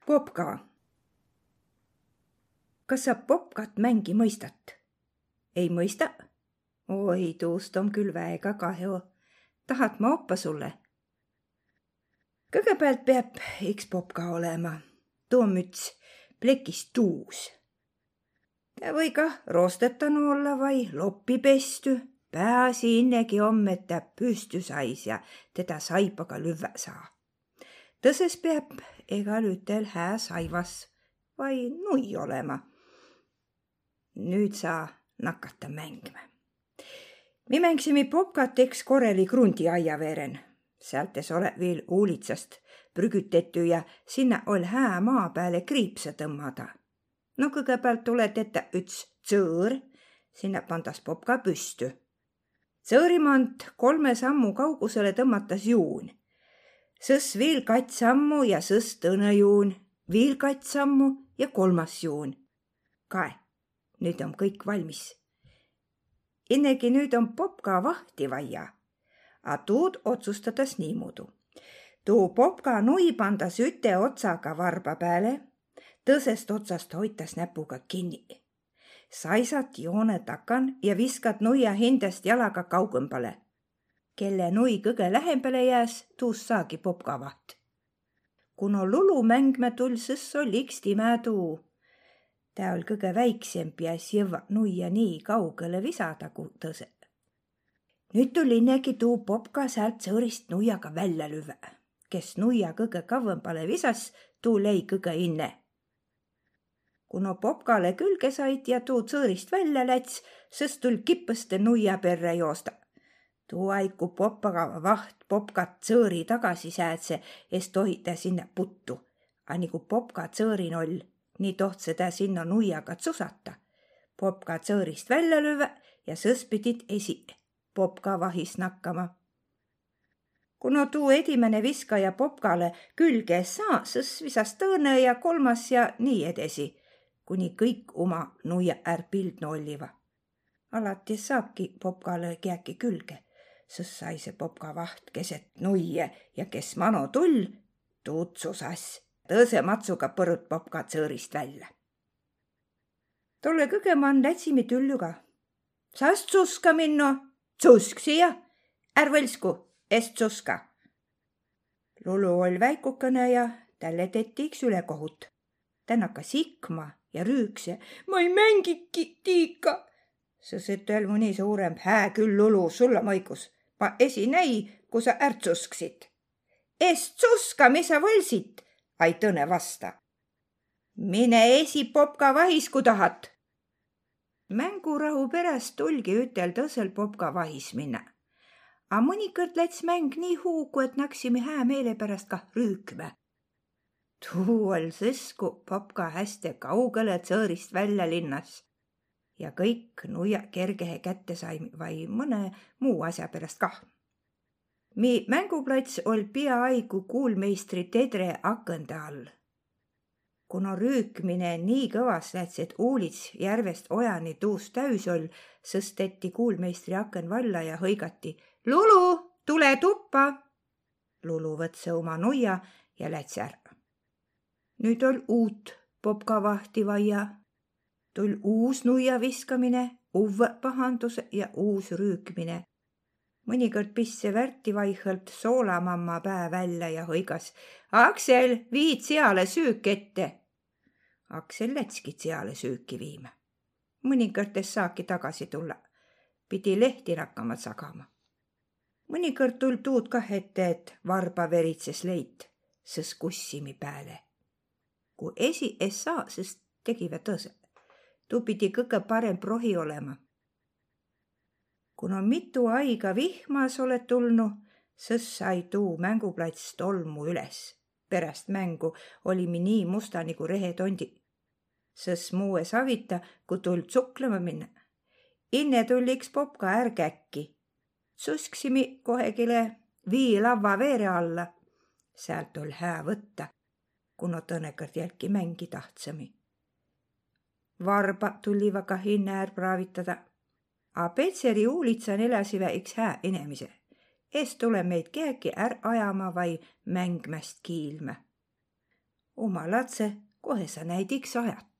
Popka. Kas sa popkat mängi mõistat? Ei mõista? Oi, tuust on küll väega kahju. Tahad ma oppa sulle? Kõigepealt peab üks popka olema. Tuu on müts plekist tuus. Ta või kah roostetanu olla vai loppi pesty. Pääsi innegi on, et ta püstü sais ja teda saipaga lüvvä saa. Tõses peab egal ütel hää saivas vai nui olema. Nüüd saa nakata mängima. Mi mängisime popkat eks koreli krundi aia veren. Säältes ole veel uulitsast prügütetty ja sinna ol hää maa peale kriipse tõmmada. No kõigepealt tule tetä üts tsõõr, sinna pandas popka püstü. Tsõõrimant 3 sammu kaugusele tõmmatas juun. Sõs veel 2 sammu ja sõs tõne juun, veel 2 sammu ja 3. juun. Kae, nüüd on kõik valmis. Innegi nüüd on popka vahti vaja, a tuud otsustades niimoodi. Tuu popka nui pandas üte otsaga varba peale, tõsest otsast hoitas näpuga kinni. Saisat joone takan ja viskat nuia hindest jalaga kaugõmbale. Kelle nui kõige lähembale jääs, tuus saagi popka vaht. Kuno lulu mängme tul, sõs oli iks timä tuu. Tä ol kõige väiksemp ja es jõva nuia nii kaugele visada kui tõse. Nüüd tuli innegi tuu popka säält sõõrist nuiaga välja lüve. Kes nuia kõige kavõmbale visas, tuu lei kõige inne. Kuno popkale külge sait ja tuu sõõrist välja läts, sõs tul kippõste nuia perre joosta. Tuu aiku poppaga vaht popkat sõõri tagasi säädse, es tohita sinna puttu. A nigu popka sõõrin oll, nii tohtse tä sinna nuiaga tsusata. Popka sõõrist välja lüve ja sõs pidid esi popka vahis nakkama. Kuno tuu edimene viskaja popkale külge saa, sõs visas tõõne ja 3. ja nii edesi, kuni kõik oma nuia pildno olliva. Alati saabki popkale kiäki külge, sõs sai see popka vaht keset nuie ja kes mano tull, tuud susas. Tõse matsuga põrut popka sõõrist välja. Tolle kõgeman lätsimi tülluga. Saas tsuska minno? Tsusk siia? Är võlsku, est tsuska. Lulu ol väikukene ja tälle tetiks ülekohut. Tän hakkas ikma ja rüükse. Ma ei mängiki tiika. Sõs ütel mõni suuremp hää küll Lulu, sulla mõigus. Ma esi näi, kui sa ärtsusksid. Est tsuska, mis sa võlsid? Ai tõne vasta. Mine esi popka vahis, kui tahat. Mängurahu peräst tulgi ütel tõsel popka vahis minna. A mõnikõrd läts mäng nii huugu, et naksime hää meele pärast kah rüükme. Tuu ol sõsku popka hästi kaugele tsõõrist välja linnas. Ja kõik nuia kergehe kätte sai vai mõne muu asja pärast kah. Mi mänguplats ol peaaegu kuulmeistri tedre akõnde all. Kuno rüükmine nii kõvas läts, et uulits järvest ojani tuus täys ol, sõsteti kuulmeistri akõn valla ja hõigati. Lulu, tule tuppa! Lulu võtse oma nuia ja läts ära. Nüüd ol uut popka vahti vaja. Tul uus nuia viskamine, uue pahandus ja uus rüükmine. Mõnikõrd pisse värti vaihõlt soolamamma pää välja ja hõigas. Aksel, viid seale süük ette. Aksel lätski seale süüki viima. Mõnikõrdes saaki tagasi tulla. Pidi lehti rakkama sagama. Mõnikõrd tul tuud kah ette, et varba veritses leit, sõs kussimi pääle. Kui esi es saa, sõs tegive tõse. Tuu pidi kõige parem prohi olema. Kuna mitu aiga vihmas oled tulnu, sõs sai tuu mänguplats tolmu üles. Pärast mängu olimi nii musta nagu rehetondi. Sõs muue savita, kui tuld suklema minna. Inne tulliks popka ärgäkki. Susksimi kohegile vii lava veere alla. Säält ol hää võtta, kuna tõnekõrd jälki mängi tahtsami. Varba tulliva kah inne praavitada. A Petseri uulitsan elasive iks hää inemise. Es tule meid keegi ajama vai mängmäst kiilme. Oma latse kohe sa näid iks ajat.